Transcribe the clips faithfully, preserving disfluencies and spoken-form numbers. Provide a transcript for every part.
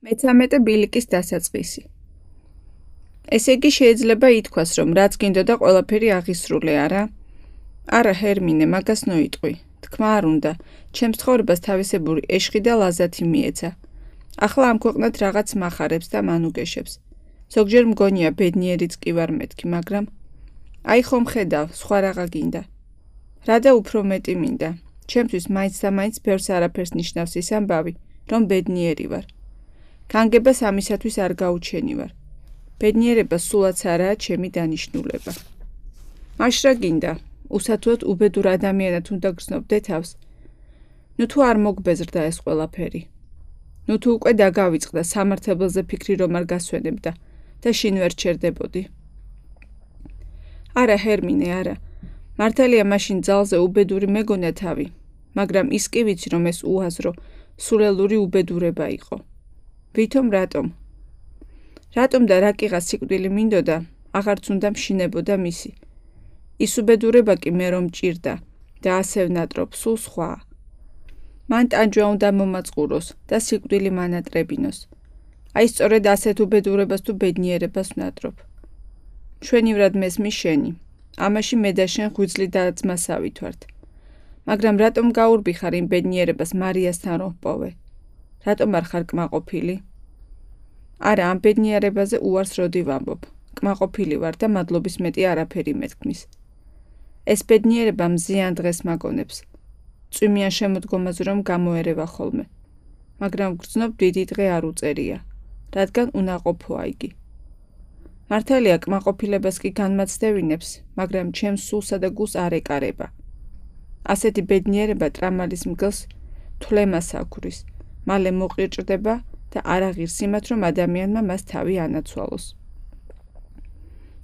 მეცამეტე ბილიკის დასაწყისი. ესე იგი შეიძლება ითქვას, რომ რაც გინდოდა ყველაფერი აღისრულე, არა? არა, ჰერმინე, მაგას ნოიტყვი. თქმა არ უნდა, ჩემს ცხოვრებას თავისებური ეშხი და ლაზათი მიეცა. ახლა ამ ქვეყნად რაღაც მახარებს და მანუგეშებს. ზოგჯერ მგონია ბედნიერიც კი ვარ მეთქი, მაგრამ აი ხომ ხედავ, სხვა რაღა გინდა. რა და უფრო მეტი მინდა. ჩემთვის მაინც და მაინც ბევრს არაფერს ნიშნავს ის ამბავი, რომ ბედნიერი ვარ. განგებას ამისათვის არ გაუჩენივარ. ბედნიერება სულაც არაა ჩემი დანიშნულება. მაშ რა გინდა? უსათუოდ უბედურ ადამიანად უნდა გრძნობდე თავს. ნუ თუ არ მოგბეზრდა ეს ყველაფერი. ნუ თუ უკვე დაგავიწყდა სამართლებელზე ფიქრი რომ არ გასვენებდა და შინ ვერ ჩერდებოდი. არა, ჰერმინე, არა. მართალია მაშინ ძალზე უბედური მეგონა თავი, მაგრამ ის კი ვიცი რომ ეს უაზრო, სულელური უბედურება იყო. ვითომ რატომ? რატომ და რა კიღას სიკვდილი მინდოდა, აღარც უნდა მშინებოდა მისი. ის უბედურება კი მე რომ მჭირდა და ასე ვნატრობ, სულ სხვაა. მან ტანჯვა უნდა მომაწყუროს და სიკვდილი მანატრებინოს. აი სწორედ ასეთ უბედურებას თუ ბედნიერებას ვნატრობ. მშვენივრად მესმის შენი. ამაში მე და შენ ღვიძლი და ძმასავით ვართ. მაგრამ რატომ გაურბიხარ იმ ბედნიერებას მარიასთან რომ ვპოვე? რატომ არ ხარ კმაყოფილი? არა, ამ ბედნიერებაზე უარს როდი ვამბობ. კმაყოფილი ვარ და მადლობის მეტი არაფერი მეთქმის. ეს ბედნიერება მზიან დღეს მაგონებს. წვიმიან შემოდგომაზე რომ გამოერევა ხოლმე. მაგრამ გრძნობ დიდი დღე არ უწერია, რადგან უნაყოფოა იგი. მართალია კმაყოფილებას კი განმაცდევინებს, მაგრამ ჩემს სულსა და გულს არ ეკარება. ასეთი ბედნიერება ტრამალის მგელს თვლემას აქვრის, მალე მოყირჭდება და არ აღირს იმათ, რომ ადამიანმა მას თავი ანაცვალოს.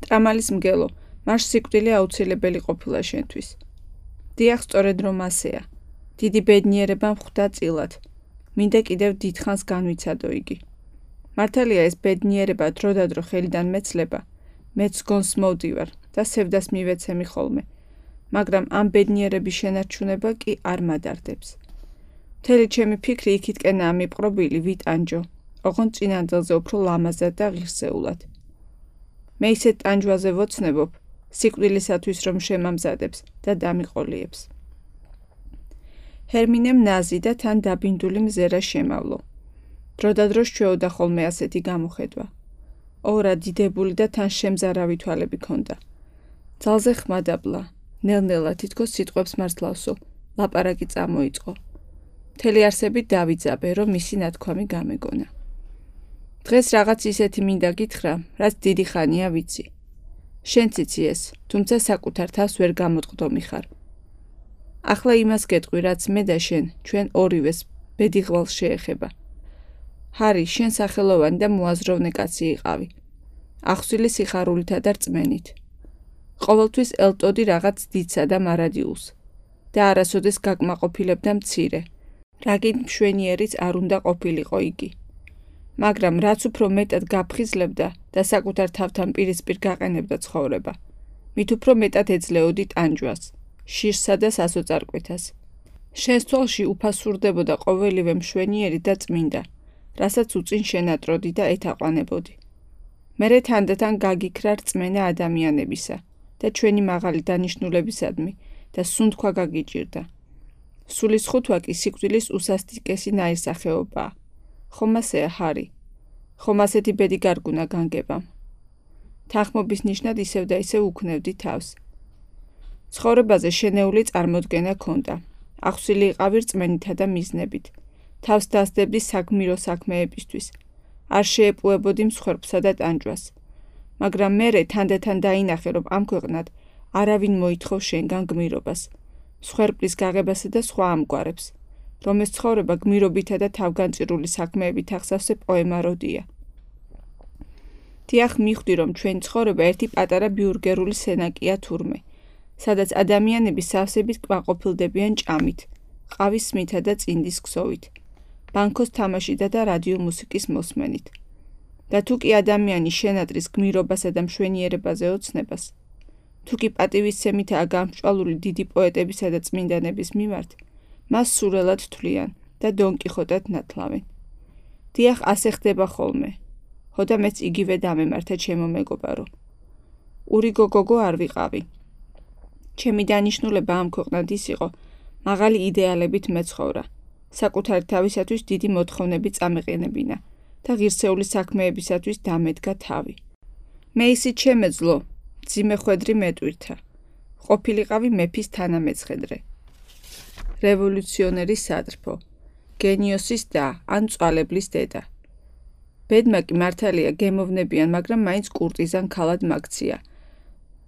ტრამალის მგელო, მას სიკვდილი აუცილებელი ყოფილა შენთვის. დიახ, სწორედ რომ ასეა. დიდი ბედნიერება მხვდა წილად. მინდა კიდევ დიდხანს განვიცადო იგი. მართალია ეს ბედნიერება დროდადრო ხელიდან მეცლება, მეც გონს მოვდივარ და სევდას მივეცემი ხოლმე, მაგრამ ამ ბედნიერების შენარჩუნება კი არ მადარდებს. მთელი ჩემი ფიქრი იქითკენაა მიპყრობილი ვიტანჯო, ოღონდ წინანდელზე უფრო ლამაზად და ღირსეულად. მე ისეთ ტანჯვაზე ვოცნებობ, სიკვდილისათვის რომ შემამზადებს და დამიყოლიებს. ჰერმინემ ნაზი და თან დაბინდული მზერა შემავლო. დროდადრო სჩვეოდა ხოლმე ასეთი გამოხედვა. ორა დიდებული და თან შემზარავი თვალები ქონდა. ძალზე ხმადაბლა, ნელ-ნელა თითქოს სიტყვებს მარცლავსო, ლაპარაკი წამოიწყო. მთელი არსებით დავიძაბე, რომ მისი ნათქვამი გამეგონა. დღეს რაღაც ისეთი მინდა გითხრა, რაც დიდი ხანია ვიცი. შენც იცი ეს, თუმცა საკუთარ თავს ვერ გამოტყდომი ხარ. ახლა იმას გეტყვი, რაც მე და შენ, ჩვენ ორივეს ბედიღვალს შეეხება. ჰარი, შენ სახელოვანი და მოაზროვნე კაცი იყავი. ახსვილი სიხარულითა და რწმენით. ყოველთვის ელტოდი რაღაც დიდსა და მარადიულს და არასოდეს გაკმაყოფილებდა მცირე, რაგინ მშვენიერიც არ უნდა ყოფილიყო იგი. მაგრამ რაც უფრო მეტად გაფხიზლებდა და საკუთარ თავთან პირისპირ გაყენებდა ცხოვრება, მით უფრო მეტად ეძლეოდი ტანჯვას, შირსა და სასოწარკვეთას. შენს თვალში უფასურდებოდა ყოველივე მშვენიერი და წმინდა, რასაც უწინ შენატროდი და ეთაყვანებოდი. მერე თანდათან გაგიქრა რწმენა ადამიანებისა და ჩვენი მაღალი დანიშნულებისადმი და სუნთქვა გაგიჭირდა. სულის ხუთვა კი სიკვდილის უსასტიკესი ნაირსახეობაა. ხომ ასეა, ჰარი? ხომ ასეთი ბედი გარგუნა განგებამ? თანხმობის ნიშნად ისევ და ისევ უქნევდი თავს. ცხოვრებაზე შენეული წარმოდგენა ქონდა. ახსვილი იყავი რწმენითა და მიზნებით. თავს დასდებდი საგმირო საქმეებისთვის. არ შეეპუებოდი მსხვერპლსა და ტანჯვას. მაგრამ მერე თანდათან დაინახე, რომ ამ ქვეყნად არავინ მოითხოვს შენგან გმირობას, მსხვერპლის გაღებასა და სხვა ამგვარებს, რომ ეს ცხოვრება გმირობითა და თავგანწირული საქმეებით ახსავსე პოემაროდია. დიახ, მიხვდი, რომ ჩვენი ცხოვრება ერთი პატარა ბიურგერული სენაკია თურმე, სადაც ადამიანები სავსებით კმაყოფილდებიან ჭამით, ყავის სმითა და წინდის ქსოვით, ბანკოს თამაშითა და რადიო მუსიკის მოსმენით. და თუ კი ადამიანი შენატრის გმირობასა და მშვენიერებაზე ოცნებას, თუ კი პატივისცემითაა გამსჭვალული დიდი პოეტებისა და წმინდანების მიმართ, მას სურელად თვლიან და დონ კიხოტად ნათლავენ. დიახ, ასე ხდება ხოლმე. ხოდა მეც იგივე დამემართა ჩემო მეგობარო. ურიგო გოგო არ ვიყავი. ჩემი დანიშნულება ამ ქვეყნად ის იყო, მაღალი იდეალებით მეცხოვრა, საკუთარი თავისათვის დიდი მოთხოვნები წამეყენებინა და ღირსეული საქმეებისათვის დამედგა თავი. მე ისიც შემეძლო, მძიმე ხვედრი მეტვირთა. ყოფილიყავი მეფის თანამეცხედრე. რევოლუციონერის სადრფო, გენიოსის და ან მწვალებლის დედა. ბედმა კი მართალია გემოვნებიან, მაგრამ მაინც კურტიზან ქალად მაგცია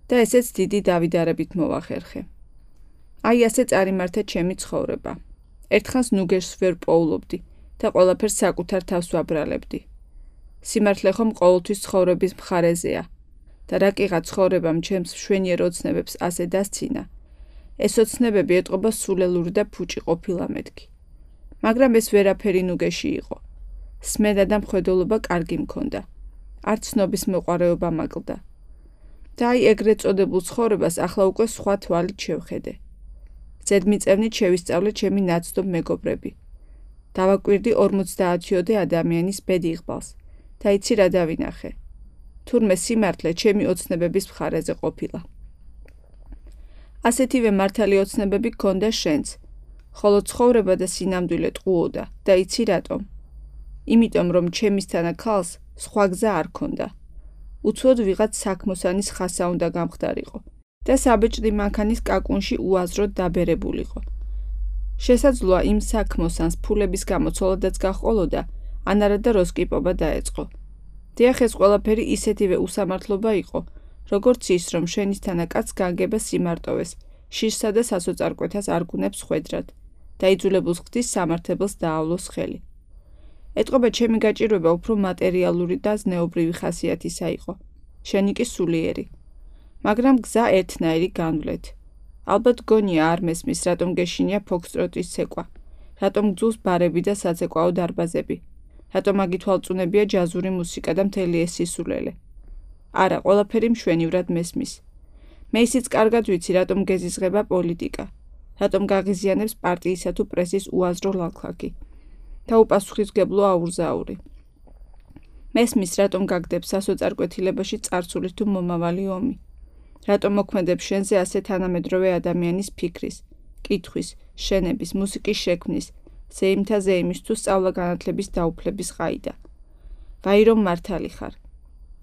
და ესეც დიდი დავიდარებით მოვახერხე. აი ასე წარიმართა ჩემი ცხოვრება. ერთხანს ნუგერს ვერ პოულობდი და ყველაფერს საკუთარ თავს ვაბრალებდი. სიმართლე ხომ ყოველთვის ცხოვრების მხარეზეა და რა კიღა ცხოვრებამ ჩემს მშვენიერ ოცნებებს ასე დასცინა. ეს ოცნებები ეტყობა სულელური და ფუჭი ყოფილა მეთქი. მაგრამ ეს ვერაფერი ნუგეში იყო. სმენა და მხედველობა კარგი მქონდა. არც ცნობის მოყარეობა მაკლდა. და აი ეგრეთ წოდებულ ცხოვრებას ახლა უკვე სხვა თვალით შევხედე. ზედმიწევნით შევისწავლე ჩემი ნაცნობ მეგობრები. დავაკვირდი ორმოცდაათიოდე ადამიანის ბედიღბალს და იცი რა დავინახე. თურმე სიმართლე ჩემი ოცნებების მხარეზე ყოფილა. ასეთივე მართალი ოცნებები გქონდა შენც, ხოლო ცხოვრება და სინამდვილე ტყუოდა და იცი რატომ? იმიტომ რომ ჩემისთანა ქალს სხვა გზა არ ქონდა. უცოდ ვიღაც საქმოსანის ხასა უნდა გამხდარიყო და საბეჭდი მანქანის კაკუნში უაზროდ დაბერებულიყო. შესაძლოა იმ საქმოსანს ფულების გამო ცოლადაც გაჰყოლოდა, ან არა და როსკიპობა დაეწყო. დიახ, ეს ყველაფერი ისეთივე უსამართლობა იყო, როგორც ის, რომ შენისთანა კაცს განგება სიმარტოვეს, შირსა და სასოწარკვეთას არგუნებს ხვედრად და იძულებულს ხდის სამართებელს დაავლოს ხელი. ეტყობა ჩემი გაჭირვება უფრო მატერიალური და ზნეობრივი ხასიათისა იყო. შენი კი სულიერი. მაგრამ გზა ერთნაირი განვლეთ. ალბათ გონია არ მესმის, რატომ გეშინია ფოქსტროტის ცეკვა, რატომ გძულს ბარები და საცეკვაო დარბაზები, რატომ აგითვალწუნებია ჯაზური მუსიკა და მთელი ეს სისულელე. არა, ყველაფერი მშვენივრად მესმის. მე ისიც კარგად ვიცი, რატომ გეზიზღება პოლიტიკა, რატომ გაღიზიანებს პარტიისა თუ პრესის უაზრო ლაქლაკი და უპასუხისმგებლო აურზაური. მესმის, რატომ გაგდებს სასოწარკვეთილებაში წარსული თუ მომავალი ომი. რატომ მოქმედებს შენზე ასე თანამედროვე ადამიანის ფიქრის, კითხვის, შენების, მუსიკის შექმნის, ზეიმთა ზეიმის თუ სწავლა-განათლების დაუფლების ყაიდა. ვაი რომ მართალი ხარ.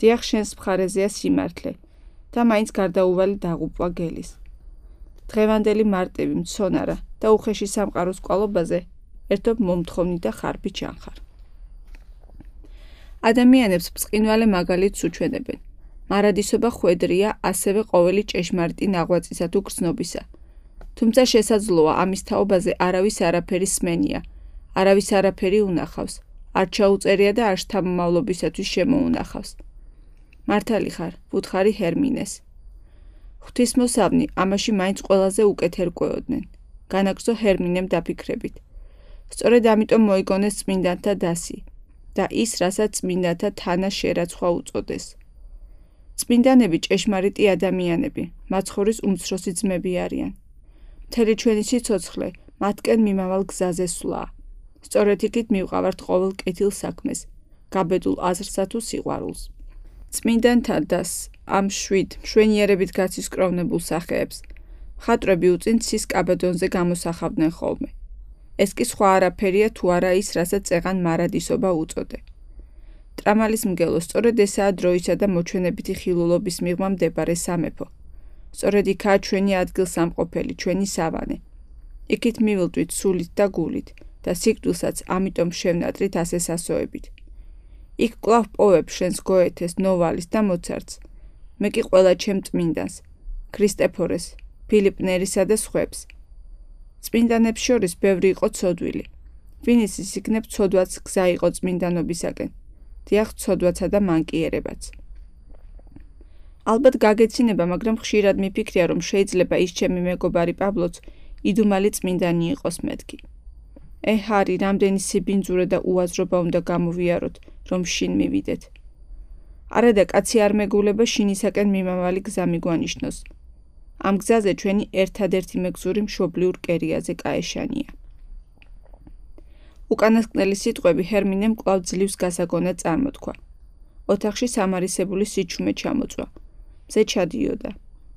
დიახ, შენს მხარეზეა სიმართლე და მაინც გარდაუვალი დაღუპვა გელის. დღევანდელი მარტივი, მცონარა და უხეში სამყაროს კვალობაზე ერთობ მომთხოვნი და ხარბი ჩანხარ. ადამიანებს ბრწყინვალე მაგალითს უჩვენებენ. მარადისობა ხვედრია ასევე ყოველი ჭეშმარიტი ნაღვაწისა თუ გრძნობისა. თუმცა შესაძლოა ამის თაობაზე არავის არაფერი სმენია, არავის არაფერი უნახავს, არ ჩაუწერია და არ შთამომავლობისათვის შემოუნახავს. მართალი ხარ, ვუთხარი ჰერმინეს. ღვთისმოსავნი ამაში მაინც ყველაზე უკეთ ერკვეოდნენ. განაგრძო ჰერმინემ დაფიქრებით. სწორედ ამიტომ მოიგონეს წმინდანთა დასი და ის, რასაც წმინდანთა თანა შერაცხვა უწოდეს. წმინდანები ჭეშმარიტი ადამიანები, მაცხოვრის უმცროსი ძმები არიან. მთელი ჩვენი სიცოცხლე მათკენ მიმავალ გზაზე სვლაა. სწორედ იქით მივყავართ ყოველ კეთილ საქმეს, გაბედულ აზრსა თუ სიყვარულს. წმინდანთა დასს, ამ შვიდ, მშვენიერებით გაცისკროვნებულ სახეებს, მხატვრები უწინ ცის კაბედონზე გამოსახავდნენ ხოლმე. ეს კი სხვა არაფერია თუ არა ის, რასაც წეღან მარადისობა უწოდე. ტრამალის მგელო, სწორედ ესაა დროისა და მოჩვენებითი ხილულობის მიღმა მდებარე სამეფო. სწორედ იქაა ჩვენი ადგილსამყოფელი, ჩვენი სავანე. იქით მივილდვით სულით და გულით და სიკვდილსაც ამიტომ შევნატრით ასე სასოებით. იქ კვლავ პოვებ შენს გოეთეს, ნოვალის და მოცარტს. მე კი ყველა ჩემ წმინდანს, ქრისტეფორეს, ფილიპ ნერისა და სხვებს. წმინდანებს შორის ბევრი იყო ცოდვილი. ვინიც ისიგნებ ცოდვაც გზა იყო წმინდანობისაკენ. დიახ, ცოდვაცა და მანკიერებაც. ალბათ გაგეცინება, მაგრამ ხშირად მიფიქრია, რომ შეიძლება ის ჩემი მეგობარი პაბლოც იდუმალი წმინდანი იყოს მეთქი. ე ჰარი, რამდენი სიბინძურე და უაზრობა უნდა გამოვიაროთ, რომ შინ მივიდეთ. არა და კაცი არ მეგულება შინისაკენ მიმავალი გზა მიგვანიშნოს. ამ გზაზე ჩვენი ერთადერთი მეგზური მშობლიურ კერიაზე კაეშანია. უკანასკნელი სიტყვები ჰერმინემ კვლავ ძლივს გასაგონად წარმოთქვა. ოთახში სამარისებული სიჩუმე ჩამოწვა. მზე ჩადიოდა.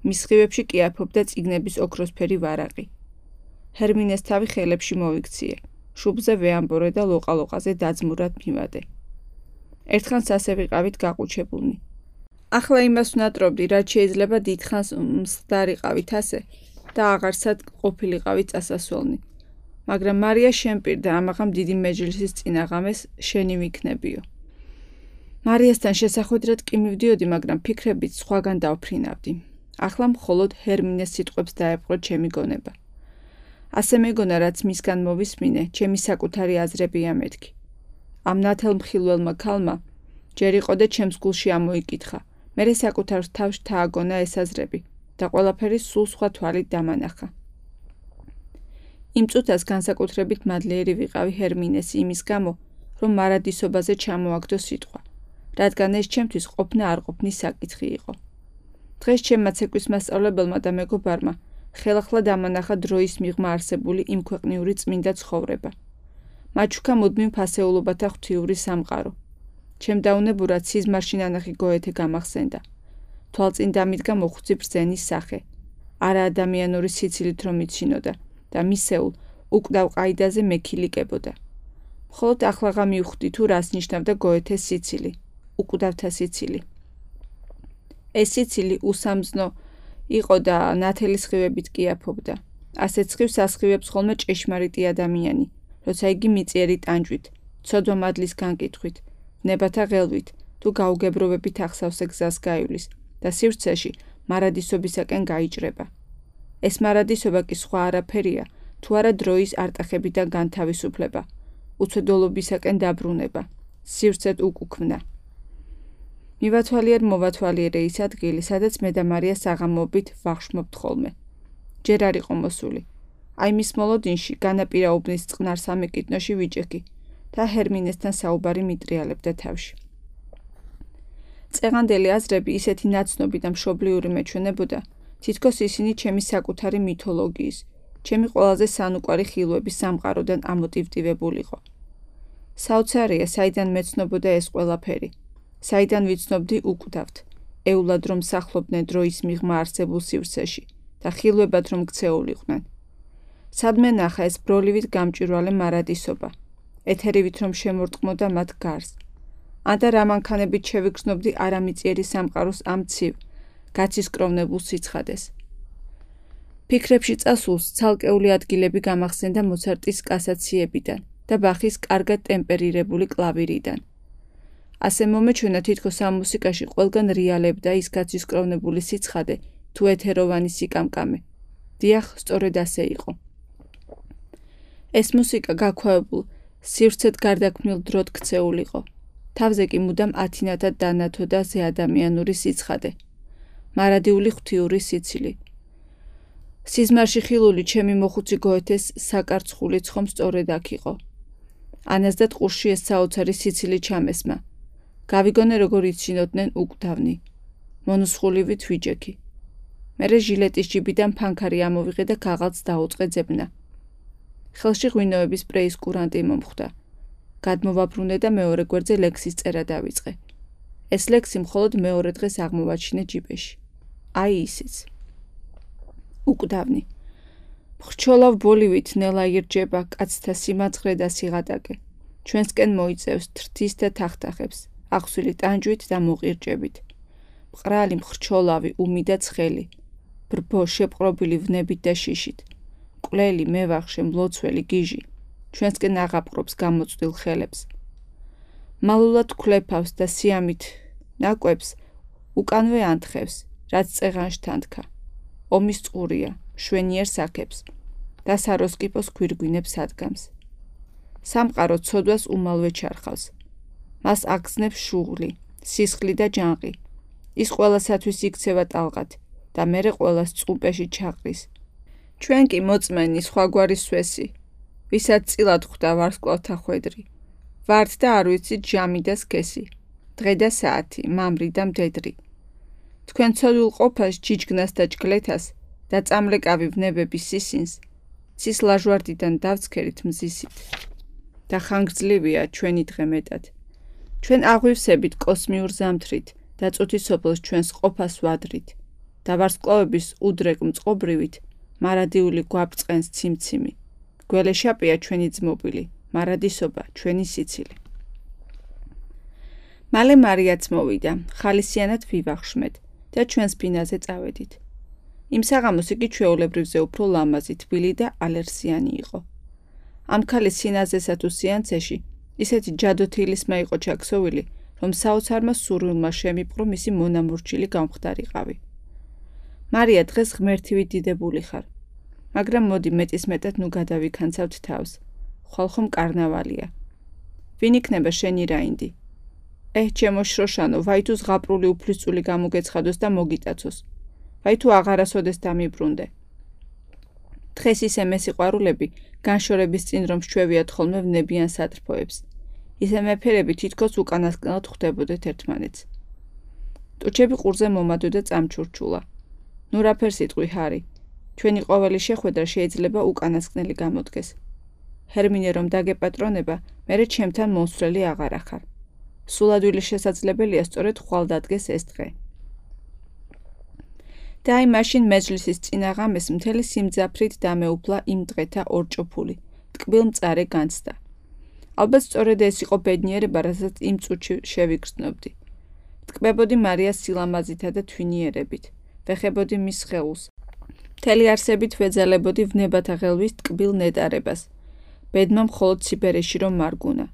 მის სხივებში კი აფობდა წიგნების ოქროსფერი ვარაყი. ჰერმინეს თავი ხელებში მოვიქციე. შუბლზე ვეამბორე და ლოყალოყაზე დაძმურად მივადე. ერთხანს ასე ვიყავით გაყუჩებულნი. ახლა იმას ვნატრობდი, რაც შეიძლება დიდხანს მსხდარიყავით ასე და აღარცად ყოფილიყავით წასასვლელნი. მაგრამ მარია შემპირდა ამაღამ დიდი მეჯლისის წინაღამეს შენი ვიქნებიო. მარიასთან შესახვედრად კი მივდიოდი, მაგრამ ფიქრებით სხვაგან დავფრინავდი. ახლა მხოლოდ ჰერმინეს სიტყვებს დაეპყრო ჩემი გონება. ასე მეგონა, რაც მისგან მოვისმინე, ჩემი საკუთარი აზრებია მეთქი. ამ ნათელ მხილველმა ქალმა ჯერ იყო და ჩემს გულში ამოიკითხა. მერე საკუთარ თავს თააგონა ეს აზრები და ყველაფერი სულ სხვა თვალით დამანახა. იმ წუთას განსაკუთრებით მადლიერი ვიყავი ჰერმინეს იმის გამო, რომ მარადისობაზე ჩამოაგდო სიტყვა, რადგან ეს ჩემთვის ყოფნა არ ყოფნის საკითხი იყო. დღეს ჩემმა ცეკვის მასწავლებელმა და მეგობარმა ხელახლა დამანახა დროის მიღმა არსებული იმ ქვეყნიური წმინდა ცხოვრება. მათ შუქა მუდმივ ფასეულობათა ღვთიური სამყარო. ჩემ დაუნებურად სიზმარში ნანახი გოეთე გამახსენდა. თვალწინ დამიდგა მოხუცი ბრძენის სახე, არა ადამიანური სიცილით რომ იცინოდა და მისეულ უკვდავ ყაიდაზე მექილიკებოდა. მხოლოდ ახლაღა მივხვდი თუ რას ნიშნავდა გოეთეს სიცილი, უკვდავთა სიცილი. ეს სიცილი უსამძნო იყო და ნათელი სხივებით კი აფობდა. ასეთ სხივს ასხივებს ხოლმე ჭეშმარიტი ადამიანი, როცა იგი მიწიერი ტანჯვით, ცოდვა მადლის განკითხვით, ნებათა ღელვით თუ გაუგებრობებით ახსავსე გზას გაივლის და სივრცეში მარადისობისაკენ გაიჭრება. ეს მარადისობა კი სხვა არაფერია, თუ არა დროის არტახებიდან განთავისუფლება, უცოდოლობისაკენ დაბრუნება, სივრცეთ უკუქმნა. მივათვალიერ მოვათვალიერე ის ადგილი, სადაც მე და მარია საღამოობით ვახშმობთ ხოლმე. ჯერ არ იყო მოსული. აი მის მოლოდინში განაპირა უბნის წყნარ სამეკიდნოში ვიჭექი და ჰერმინესთან საუბარი მიტრიალებდა თავში. წეღანდელი აზრები ისეთი ნაცნობი და მშობლიური მეჩვენებოდა, თითქოს ისინი ჩემი საკუთარი მითოლოგიის, ჩემი ყველაზე სანუკვარი ხილვების სამყაროდან ამოტივტივებულიყო. საოცარია, საიდან მეცნობოდა ეს ყველაფერი, საიდან ვიცნობდი უკვდავთ, ეულად რომ სახლობდნენ დროის მიღმა არსებულ სივრცეში და ხილვებად რომ ქცეულიყვნენ. სადმე ნახა ეს ბროლივით გამჭვირვალე მარადისობა, ეთერივით რომ შემორტყმოდა მათ გარს. ანდა რა მანქანებით შევიგრძნობდი არამიწიერი სამყაროს ამ ცივ, გაცისკროვნებულ სიცხადეს. ფიქრებში წასულს ცალკეული ადგილები გამახსენდა მოცარტის კასაციებიდან და ბახის კარგად ტემპერირებული კლავირიდან. ასე მომეჩვენა თითქოს ამ მუსიკაში ყველგან რეალებდა ის გაცისკროვნებული სიცხადე თუ ეთეროვანი სიკამკამე. დიახ, სწორედ ასე იყო. ეს მუსიკა გაქვავებულ, სივრცეთ გარდაქმნილ დროდ ქცეულიყო. თავზე კი მუდამ ათინათად დანათოდა ზეადამიანური სიცხადე. მარადიული ღვთიური სიცილი. სიზმარში ხილული ჩემი მოხუცი გოეთეს საკარცხული ცხომ სწორედ აქ იყო. ანას და ტყურში ეს საოცარი სიცილი ჩამესმა. გავიგონე როგორ იცინოდნენ უკვდავნი. მონუსხულივით ვიჯექი. მერე ჟილეტის ჯიბიდან ფანქარი ამოვიღე და ქაღალდს დაუწყე ძებნა. ხელში ღვინოების სპრეის კურანტი მომხვდა. გადმოვაბრუნე და მეორე გვერდზე ლექსის წერა დავიწყე. ეს ლექსი მხოლოდ მეორე დღეს აღმოვაჩინე ჯიბეში. აი ისიც. უკვდავნი. ხრჩოლავ ბოლივით ნელა ირჯება კაცთა სიმაცხრე და სიღატაკე. ჩვენსკენ მოიწევს თრთის და თახთახებს, ახსვილი ტანჯვით და მოყირჭებით. მყრალი მხრჩოლავი უმი და ცხელი. ბრბო შეპყრობილი ვნებით და შიშით. მკვლელი მევახშე მლოცველი გიჟი. ჩვენსკენ აღაპყრობს გამოწვდილ ხელებს. მალულად ქლეფავს და სიამით ნაკვებს უკანვე ანთხევს, რაც წეღანში თანთქა. ომის წყურია, შვენიერ საქებს და საროსკიპოს ქვირგვინებს ადგამს. სამყარო ცოდვას უმალვე ჩარხავს. მას აგზნებს შუღლი, სისხლი და ჯანყი. ის ყველასათვის იქცევა ტალღად და მერე ყველას წყუპეში ჩაყრის. ჩვენ კი მოწმენი სხვაგვარი სვესი, ვისაც წილად ხვდა ვარსკვლავთა ხვედრი. ვართ და არ ვიცით ჟამი და სქესი, დღე და საათი, მამრი და მდედრი. თქვენ ცოდვილ ყოფას ჯიჯგნას და ჯგლეთას და წამლეკავი ვნებების სისინს, ცის ლაჟვარდიდან დავცქერით მზისით. და ხანგრძლივია ჩვენი დღე მეტად. ჩვენ აღვივსებით კოსმიურ ზამთრით და წუთის სოფელს ჩვენს ყოფას ვადრით და ვარსკვლავების უდრეკ მწყობრივით მარადიული გვაბწყენს ციმციმი. გველეშაპია ჩვენი ძმობილი, მარადისობა ჩვენი სიცილი. მალე მარიაც მოვიდა, ხალისიანად ვივახშმეთ და ჩვენს ფინაზე წავედით. იმ საღამოს იგი ჩვეულებრივზე უფრო ლამაზი, თბილი და ალერსიანი იყო. ამ ქალის სინაზესა თუ სიანცეში ისეთი ჯადოთილისმა იყო ჩაქსოვილი, რომ საოცარმა სურვილმა შემიპყრო მისი მონამორჩილი გამხდარიყავი. მარია, დღეს ღმერთივით დიდებული ხარ, მაგრამ მოდი მეტისმეტად ნუ გადავიქანცავთ თავს. ხვალ ხომ კარნავალია. ვინ იქნება შენი რაინდი? ეჰ, ჩემო შროშანო, ვაი თუ ზღაპრული უფლისწული გამოგეცხადოს და მოგიტაცოს. ვაი თუ აღარასოდეს დამიბრუნდე. დღეს ისე მესიყვარულები განშორების წინ რომ შევიათ ხოლმე ვნებიან სატრფოებს. ისე მეფერები თითქოს უკანასკნელად ხვდებოდეთ ერთმანეთს. ტუჩები ყურზე მომადო და წამჩურჩულა. ნუ რაფერ სიტყვი ჰარი, ჩვენი ყოველი შეხვედრა შეიძლება უკანასკნელი გამოდგეს. ჰერმინე რომ დაგეპატრონება, მერე ჩემთან მოსვლელი აღარ ახარ. სულადვილი შესაძლებელია სწორედ ხვალ დადგეს ეს დღე. და აი მაშინ მეჯლისის წინაღამეს მთელი სიმძაფრით დამეუფლა იმ დღეთა ორჭოფული, ტკბილ მწარე განცდა. ალბათ სწორედ ეს იყო ბედნიერება, რასაც იმ წუთში შევიგრძნობდი. ტკბებოდი მარიას სილამაზითა და თვინიერებით, ვეხებოდი მის სხეულს. მთელი არსებით ვეძალებოდი ვნებათა ღელვის ტკბილ ნეტარებას. ბედმა მხოლოდ სიბერეში რომ მარგუნა.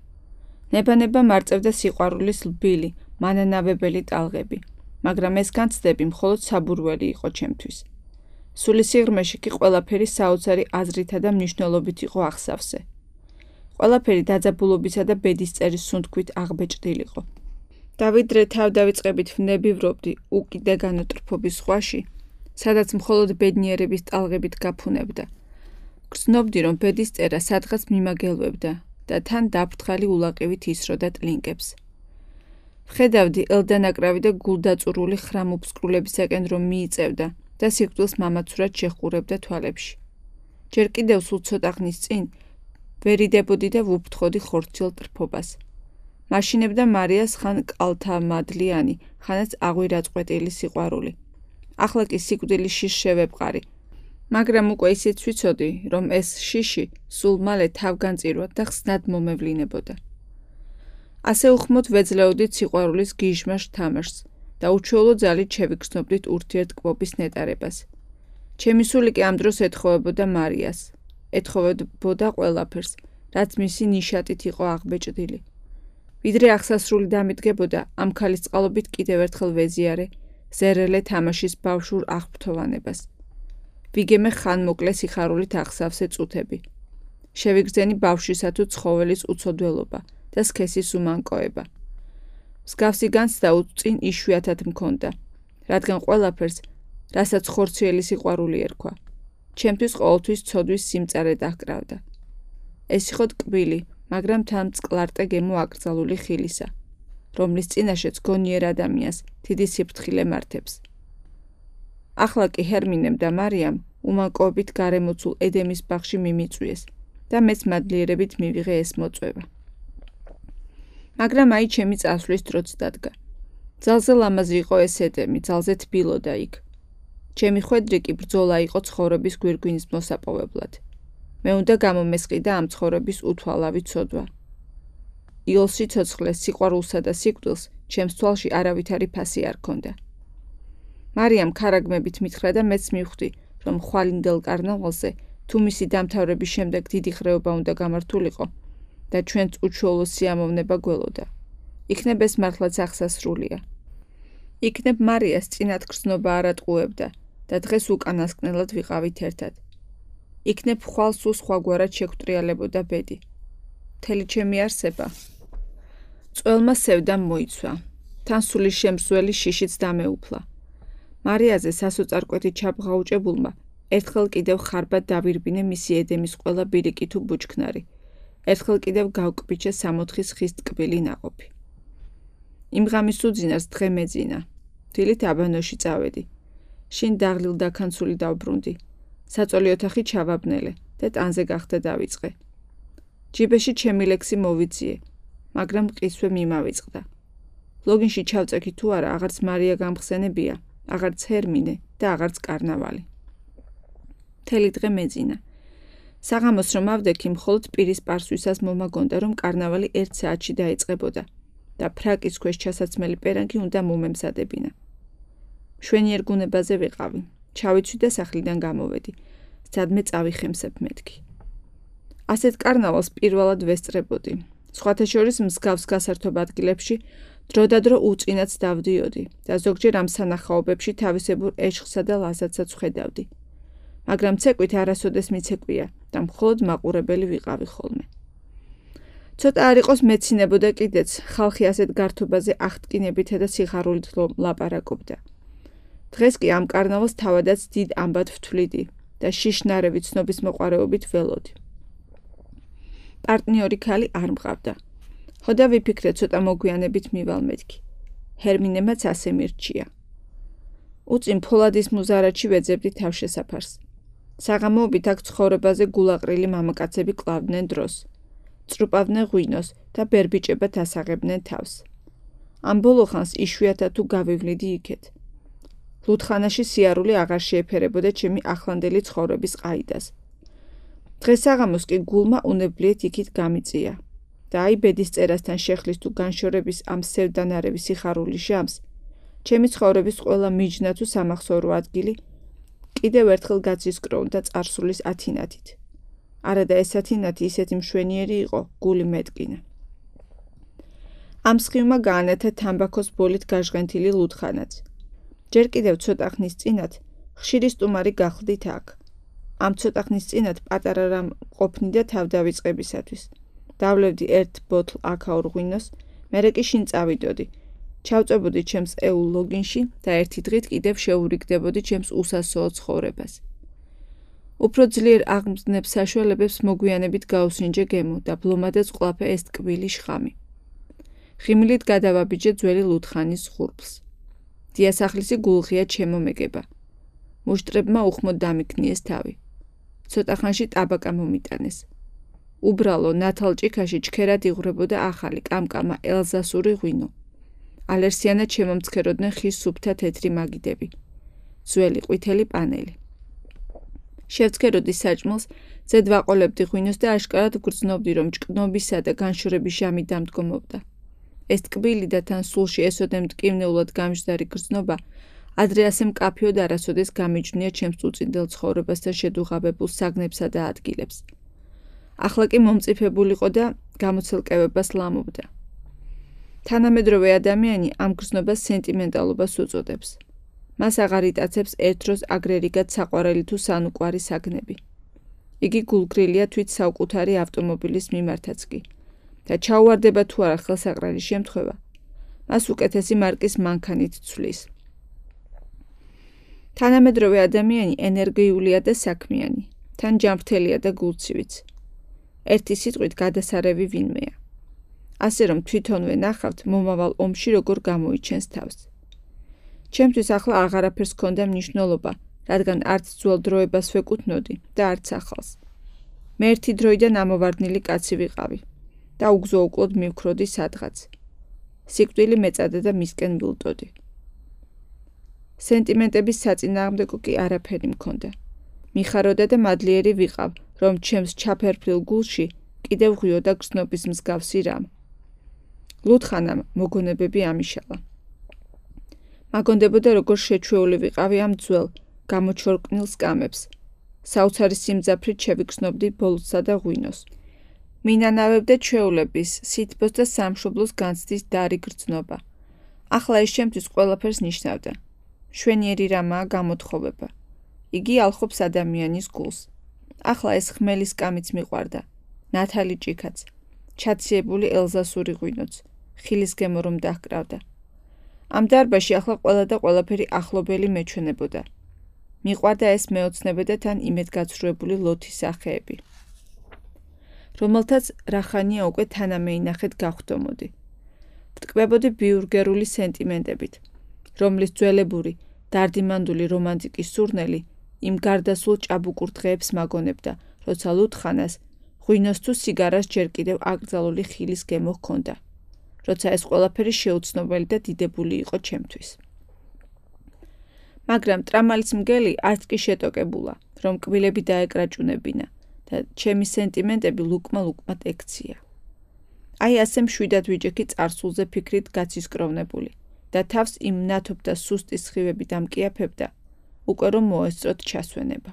ნება-ნება მარწევდა სიყვარულის ლბილი, მანანავებელი ტალღები, მაგრამ ეს განცდები მხოლოდ საბურველი იყო ჩემთვის. სული სიღრმეში კი ყველაფერი საოცარი აზრითა და მნიშვნელობით იყო აღსავსე. ყველაფერი დაძაბულობისა და ბედისწერის სუნთქვით აღბეჭდილიყო. და ვიდრე თავდავიწყებით ვნებივრობდი უკიდე განუტრფობის ზღვაში, სადაც მხოლოდ ბედნიერების ტალღებით გაფუნებდა. გრძნობდი, რომ ბედისწერა სადღაც მიმაგელვებდა და თან დაფრთხალი ულაყივით ისროდა ტლინკებს. ვხედავდი ელდანაკრავი და გულდაწურული ხრამუფსკრულებისაკენ რომ მიიწევდა და სიკვდილს მამაცურად შეხყურებდა თვალებში. ჯერ კიდევ სულ ცოტა ხნის წინ ვერიდებოდი და ვუფრთხოდი ხორციელ ტრფობას. მაშინებდა მარიას ხან კალთამადლიანი, ხანაც აღვირაწყვეტილი სიყვარული. ახლა კი სიკვდილის შიშ შევეპყარი, მაგრამ უკვე ისიც ვიცოდი, რომ ეს შიში სულ მალე თავგანწირვად და ხსნად მომევლინებოდა. ასე უხმოდ ვეძლეოდით სიყვარულის გიჟმაშ თამაშს და უჩვეულო ძალით შევიგრძნობდით ურთიერთკბობის ნეტარებას. ჩემი სული კი ამ დროს ეთხოვებოდა მარიას, ეთხოვებოდა ყველაფერს, რაც მისი ნიშატით იყო აღბეჭდილი. ვიდრე აღსასრული დამიდგებოდა, ამ ქალის წყალობით კიდევ ერთხელ ვეზიარე ზერელე თამაშის ბავშვურ აღფრთოვანებას. ვიგემე ხანმოკლე სიხარულით აღსავსე წუთები. შევიგრძენი ბავშვისა თუ ცხოველის უცოდველობა და სქესის უმანკოება. მსგავსი განცდა უწინ იშვიათად მქონდა, რადგან ყველაფერს, რასაც ხორციელი სიყვარული ერქვა, ჩემთვის ყოველთვის ცოდვის სიმწარე დაჰკრავდა. ეს იყო ტკბილი, მაგრამ თან მწყლარტე გემო აკრძალული ხილისა, რომლის წინაშეც გონიერ ადამიანს დიდი სიფრთხილე მართებს. ახლა კი ჰერმინემ და მარიამ უმანკოებით გარემოცულ ედემის ბაღში მიმიწვიეს და მეც მადლიერებით მივიღე ეს მოწვევა. მაგრამ აი ჩემი წასვლის დროც დადგა. ძალზე ლამაზი იყო ეს ედემი, ძალზე თბილოდა იქ. ჩემი ხვედრი კი ბრძოლა იყო ცხოვრების გვირგვინის მოსაპოვებლად. მე უნდა გამომესყიდა ამ ცხოვრების უთვალავი ცოდვა. იოლ სიცოცხლეს, სიყვარულსა და სიკვდილს ჩემს თვალში არავითარი ფასი არ ქონდა. მარიამ ქარაგმებით მითხრა და მეც მივხვდი, რომ ხვალინდელ კარნავალზე თუ მისი დამთავრების შემდეგ დიდი ხრეობა უნდა გამართულიყო და ჩვენც უჩვეულო სიამოვნება გველოდა. იქნებ ეს მართლაც აღსასრულია. იქნებ მარიას წინათ გრძნობა არ ატყუებდა და დღეს უკანასკნელად ვიყავით ერთად. იქნებ ხვალ სულ სხვაგვარად შეგვტრიალებოდა ბედი. მთელი ჩემი არსება წველმა სევდამ მოიცვა. თან სულის შემსვლელი შიშიც დამეუფლა. მარიაზე სასოწარკვეთით ჩაბღაუჭებულმა ერთხელ კიდევ ხარბად დავირბინე მისი ედემის ყველა ბირიკი თუ ბუჩქნარი. ერთხელ კიდევ გავკბიჩე სამოთხის ხის ტკბილი ნაყოფი. იმ ღამის უძინარს დღე მეძინა. დილით აბანოში წავედი. შინ დაღლილ დაქანცული დავბრუნდი. საწოლი ოთახი ჩავაბნელე და ტანზე გახდა დავიწყე. ჯიბეში ჩემი ლექსი მოვიძიე, მაგრამ მყისვე მიმავიწყდა. ლოგინში ჩავწექი თუ არა, აღარც მარია გამხსენებია, აღარც ჰერმინე და აღარც კარნავალი. მთელი დღე მეძინა. საღამოს რომ ავდექი, მხოლოდ პირის პარსვისას მომაგონდა, რომ კარნავალი ერთ საათში დაიწყებოდა და ფრაკის ქვეშ ჩასაცმელი პერანგი უნდა მომემზადებინა. მშვენიერ გუნებაზე ვიყავი. ჩავიცვი და სახლიდან გამოვედი. სადმე წავიხემსებ მეთქი. ასეთ კარნავალს პირველად ვესწრებოდი. სხვათა შორის მსგავს გასართობ ადგილებში დროდადრო უწინაც დავდიოდი და ზოგჯერ ამ სანახაობებში თავისებურ ეშხსა და ლაზათსაც ვხედავდი. მაგრამ ცეკვით არასოდეს მიცეკვია და მხოლოდ მაყურებელი ვიყავი ხოლმე. ცოტა არ იყოს მეცინებოდა კიდეც, ხალხი ასეთ გართობაზე აღტკინებითა და სიხარულით ლაპარაკობდა. დღეს კი ამ კარნავალს თავადაც დიდ ამბად ვთვლიდი და შიშნარევი ცნობის მოყვარეობით ველოდი. პარტნიორი ქალი არ მყავდა. ხოდა ვიფიქრე ცოტა მოგვიანებით მივალ მეთქი. ჰერმინემაც ასე მირჩია. უწინ ფოლადის მუზარადში ვეძებდი თავშესაფარს. საღამოობით აქ ცხოვრებაზე გულაყრილი მამაკაცები კლავდნენ დროს. წრუპავდნენ ღვინოს და ბერბიჭებად ასაღებდნენ თავს. ამ ბოლო ხანს იშვიათად თუ გავივლიდი იქეთ. ლუდხანაში სიარული აღარ შეეფერებოდა ჩემი ახლანდელი ცხოვრების ყაიდას. დღეს საღამოს კი გულმა უნებლიეთ იქით გამიწია და აი ბედის წერასთან შეხლის თუ განშორების ამ სევდანარევი სიხარულის ჟამს, ჩემი ცხოვრების ყველა მიჯნა თუ სამახსოვრო ადგილი კიდევ ერთხელ გაცისკრონდა წარსულის ათინათით. არადა ეს ათინათი ისეთი მშვენიერი იყო, გული მეტკინა. ამ სხივმა გაანათა თამბაქოს ბოლით გაჟღენთილი ლუდხანაც. ჯერ კიდევ ცოტა ხნის წინათ ხშირი სტუმარი გახლდით აქ. ამ ცოტა ხნის წინათ პატარა რამ ყოფნიდა თავდავიწყებისათვის. დავლევდი ერთ ბოთლ აქაურ ღვინოს, მერე კი შინ წავიდოდი. ჩავწვებოდი ჩემს ეულ ლოგინში და ერთი დღით კიდევ შეურიგდებოდი ჩემს უსასოო ცხოვრებას. უფრო ძლიერ აღმზნებ საშუალებებს მოგვიანებით გაუსინჯე გემო და ბლომადაც ყლაფე ეს ტკბილი შხამი. ხიმილით გადავაბიჯე ძველი ლუდხანის ღურბლს. დიასახლისი გულღია ჩემო მეგება. მუშტრებმა უხმოდ დამიქნიეს თავი. ცოტა ხანში ტაბაკა მომიტანეს. უბრალო ნათალჭიქაში ჩქერად იღვრებოდა ახალი კამკამა ელზასური ღვინო. ალერსიანად შემომცქეროდნენ ხის სუფთა თეთრი მაგიდები. ძველი ყვითელი პანელი. შევცქეროდი საჭმელს, ზედ ვაყოლებდი ღვინოს და აშკარად ვგრძნობდი, რომ ჭკნობისა და განშორების ჟამი დამდგომობდა. ეს ტკბილი და თან სულში ესოდე მტკივნეულად გამჟდარი გრძნობა ადრე ასე მკაფიოდ არასოდეს გამიჯვნია ჩემს უწინდელ ცხოვრებასთან შედუღაბებულ საგნებსა და ადგილებს. ახლა კი მომწიფებულიყო და გამოცელკევებას ლამობდა. თანამედროვე ადამიანი ამ გრძნობას სენტიმენტალობას უწოდებს. მას აღარ იტაცებს ერთ დროს აგრერიგად საყვარელი თუ სანუკვარი საგნები. იგი გულგრილია თვით საუკუთარი ავტომობილის მიმართაც კი და ჩაუვარდება თუ არა ხელსაყრელი შემთხვევა, მას უკეთესი მარკის მანქანით ცვლის. თანამედროვე ადამიანი ენერგიულია და საქმიანი, თან ჯანმრთელია და გულცივიც. ერთი სიტყვით გადასარევი ვინმეა. ასე რომ თვითონვე ნახავთ მომავალ ომში როგორ გამოიჩენს თავს. ჩემთვის ახლა აღარაფერს ჰქონდა მნიშვნელობა, რადგან არც ძველ დროებას ვეკუთვნოდი და არც ახალს. მე ერთი დროიდან ამოვარდნილი კაცი ვიყავი და უგზო-უკლოდ მივქროდი სადღაც. სიკვდილი მეწადა და მისკენ ვილდოდი. სენტიმენტების საწინააღმდეგო კი არაფერი მქონდა. მიხაროდა და მადლიერი ვიყავ, რომ ჩემს ჩაფერფლილ გულში კიდევ ღვიოდა გრძნობის მსგავსი რამ. ლუდხანამ მოგონებები ამიშალა. მაგონდებოდა როგორ შეჩვეული ვიყავი ამ ძველ, გამოჩორკნილ სკამებს. საოცარი სიმძაფრით შევიგრძნობდი ბოლოსა და ღვინოს. მინანავებდა ჩვეულების, სითბოს და სამშობლოს განცდის დარი გრძნობა. ახლა ეს ჩემთვის ყველაფერს ნიშნავდა. მშვენიერი რამაა გამოთხოვება. იგი ალხობს ადამიანის გულს. ახლა ეს ხმელის კამიც მიყვარდა. ნათალი ჭიქაც, ჩაციებული ელზასური ღვინოც, ხილის გემო რომ დაჰკრავდა. ამ დარბაზში ახლა ყველა და ყველაფერი ახლობელი მეჩვენებოდა. მიყვარდა ეს მეოცნებე და თან იმედგაცრუებული ლოთის სახეები, რომელთაც რახანია უკვე თანამეინახეთ გავხდომოდი. ვტკბებოდი ბიურგერული სენტიმენტებით, რომლის ძველებური, დარდიმანდული რომანტიკის სურნელი იმ გარდასულ ჭაბუკურ დღეებს მაგონებდა, როცა ლუდხანას ღვინოს თუ სიგარას ჯერ კიდევ აკრძალული ხილის გემო ჰქონდა, როცა ეს ყველაფერი შეუცნობელი და დიდებული იყო ჩემთვის. მაგრამ ტრამალის მგელი არც კი შეტოკებულა, რომ კბილები დაეკრაჭუნებინა და ჩემი სენტიმენტები ლუკმა-ლუკმად ექცია. აი ასე მშვიდად ვიჯექი წარსულზე ფიქრით გაცისკროვნებული და თავს იმ ნათობ და სუსტი სხივები დამკიაფებდა, უკვე რომ მოესწროთ ჩასვენება.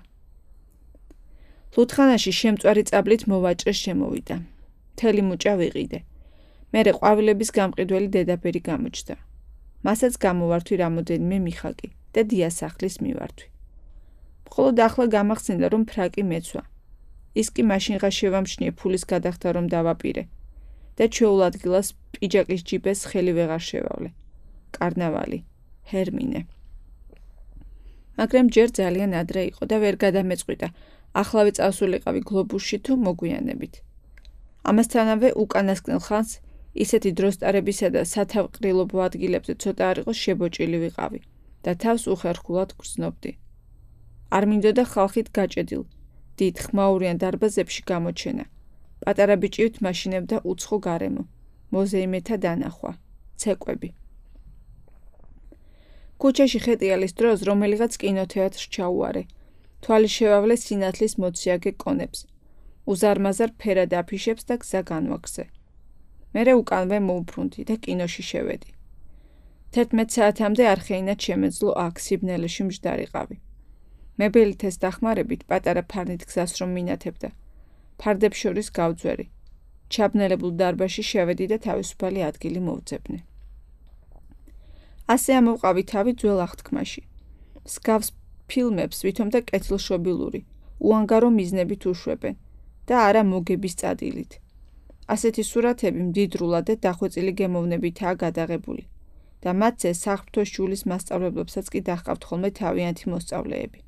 ლუთხანაში შემწვარი წაბლით მოვაჭრე შემოვიდა. მთელი მუჭა ვიყიდე. მერე ყვავილების გამყიდველი დედაფერი გამოჩნდა. მასაც გამოვართვი რამოდენიმე მიხაკი და დიასახლის მივართვი. მხოლოდ ახლა გამახსენდა, რომ ფრაკი მეცვა. ის კი მაშინღა შევამჩნიე ფულის გადახდა რომ დავაპირე და ჩვეულ ადგილას პიჯაკის ჯიბეს ხელი ვეღარ შევავლე. კარნავალი, ჰერმინე. მაგრამ ჯერ ძალიან ადრე იყო და ვერ გადამეწყვიტა, ახლავე წავსულიყავი გლობუსში თუ მოგვიანებით. ამასთანავე უკანასკნელ ხანს ისეთი დროსტარებისა და სათავყრილობო ადგილებზე ცოტა არ იყოს შებოჭილი ვიყავი და თავს უხერხულად გრძნობდი. არ მინდოდა ხალხით გაჭედილ, დიდ ხმაურიან დარბაზებში გამოჩენა. პატარა ბიჭივით მაშინებდა უცხო გარემო, მოზეიმეთა დანახვა, ცეკვები. ქუჩაში ხეტიალის დროს რომელიღაც კინოთეატრს ჩაუარე. თვალი შევავლე სინათლის მოციაგე კონებს. უზარმაზარ ფერად აფიშებს და გზა განვაგზე. მერე უკანვე მოვბრუნდი და კინოში შევედი. თერთმეტ საათამდე არ ხეინად შემეძლო აქ სიბნელეში მჯდარიყავი. მებელითეს დახმარებით პატარა ფარნით გზას რომ მინათებდა. ფარდებს შორის გავძვერი. ჩაბნელებულ დარბაზში შევედი და თავისუფალი ადგილი მოვძებნე. ასე ამოვყავი თავი ძველ აღთქმაში. მსგავს ფილმებს ვითომ და კეთილშობილური, უანგარო მიზნებით უშვებენ და არა მოგების წადილით. ასეთი სურათები მდიდრულად და დახვეწილი გემოვნებითაა გადაღებული და მათზე საღვთო შულის მასწავლებლებსაც კი დაჰყავთ ხოლმე თავიანთი მოსწავლეები.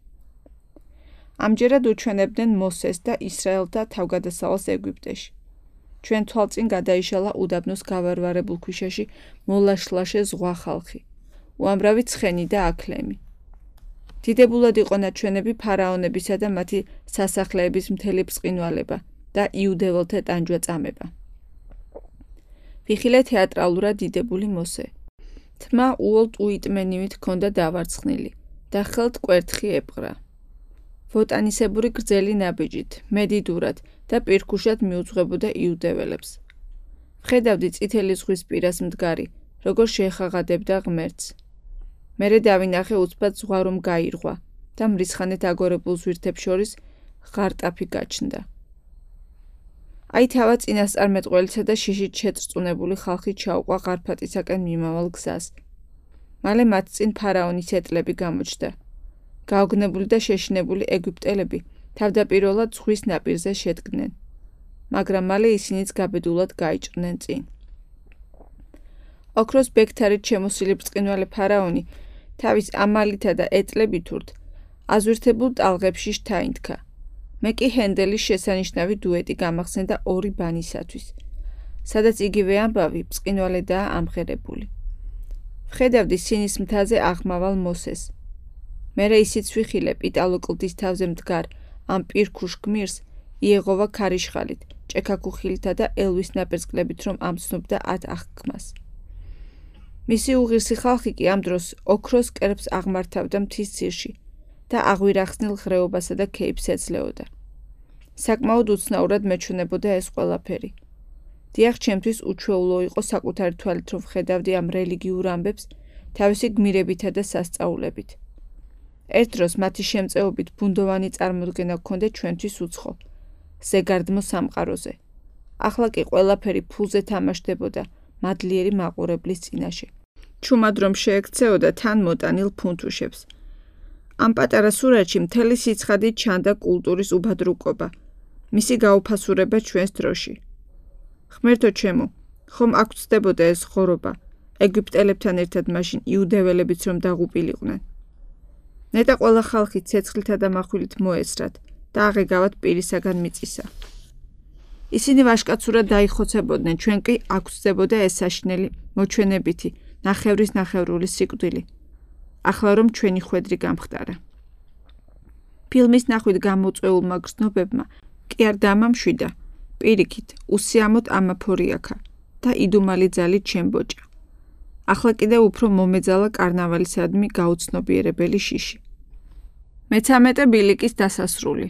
ამჯერად უჩვენებდნენ მოსეს და ისრაელთა თავგადასავალს ეგვიპტეში. ჩვენ თვალწინ გადაიშალა უდაბნოს გავარვარებულ ქვიშაში მოლაშლაშე ზღვა ხალხი, უამრავი ცხენი და აკლემი. დიდებულად იყო ნაჩვენები ფარაონებისა და მათი სასახლეების მთელი ბრწყინვალება და იუდეველთა ტანჯვა წამება. ვიხილე თეატრალურად დიდებული მოსე. თმა უოლტ უიტმენივით ჰქონდა დავარცხნილი და ხელთ კვერთხი ეპყრა. ვოტანისებური გრძელი ნაბიჯით, მედიდურად და პირქუშად მიუძღვებოდა იუდეველებს. ვხედავდი წითელი ზღვის პირას მდგარი, როგორ შეეხაღადებდა ღმერთს. მერე დავინახე უცბად ზღვა რომ გაირღვა და მრისხანეთ აგორებულ ზვირთებს შორის ღარტაფი გაჩნდა. აი თავა წინასწარმეტყველისა და შიშით შეწრწუნებული ხალხი ჩაუყვა ღარფატისაკენ მიმავალ გზას. მალე მათ წინ ფარაონის ეტლები გამოჩნდა. გაოგნებული და შეშინებული ეგვიპტელები თავდაპირველად ზღვის ნაპირზე შედგნენ, მაგრამ მალე ისინიც გაბედულად გაიჭრნენ წინ. ოქროს ბექთარით შემოსილი ბრწყინვალე ფარაონი თავის ამალითა და ეტლებით ურთ აზვირთებულ ტალღებში შთაინთქა. მე კი ჰენდელის შესანიშნავი დუეტი გამახსენდა ორი ბანისათვის, სადაც იგივე ამბავი ბრწყინვალედაა ამღერებული. ვხედავდი სინის მთაზე აღმავალ მოსეს. მერე ისიც ვიხილე პიტალოკლდის თავზე მდგარ ამ პირქუშ გმირს იეღოვა ქარიშხალით, ჭექაქუხილითა და ელვის ნაპერწკლებით რომ ამცნობდა ათ აღქმას. მისი უღირსი ხალხი კი ამ დროს ოქროს კერპს აღმართავდა მთის ძირში და აღვირახსნილ ღრეობასა და ქეიფს ეძლეოდა. საკმაოდ უცნაურად მეჩვენებოდა ეს ყველაფერი. დიახ, ჩემთვის უჩვეულო იყო საკუთარი თვალით რომ ვხედავდი ამ რელიგიურ ამბებს თავისი გმირებითა და სასწაულებით. ერთ დროს მათი შემწეობით ბუნდოვანი წარმოდგენა გქონდა ჩვენთვის უცხო, ზეგარდმო სამყაროზე. ახლა კი ყველაფერი ფულზე თამაშდებოდა მადლიერი მაყურებლის წინაშე. ჩუმად რომ შეექცეოდა თან მოტანილ ფუნთუშებს. ამ პატარა სურათში მთელი სიცხადით ჩანდა კულტურის უბადრუკობა, მისი გაუფასურება ჩვენს დროში. ღმერთო ჩემო, ხომ აქ ვწდებოდა ეს ხორობა, ეგვიპტელებთან ერთად მაშინ იუდეველებიც რომ დაღუპილიყვნენ. ნეტა ყველა ხალხი ცეცხლითა და מחვილით მოესრათ და აღეგავათ პირისაგან მიწისა. ისინი ვაშკაცურად დაიხოცებოდნენ, ჩვენ კი აქ ვწდებოდა ეს საშინელი მოჩვენებითი, ნახევრის ნახევრული სიკვდილი. ახლა რომ ჩვენი ხვედრი გამხდარა. ფილმის ნახვით გამოწვეულმა გრძნობებმა კი არ დამამშვიდა, პირიქით, უსიამოდ ამაფორიაქა და იდუმალი ძალით შემბოჭა. ახლა კიდევ უფრო მომეძალა კარნავალისადმი გაუცნობიერებელი შიში. მეცამეტე ბილიკის დასასრული.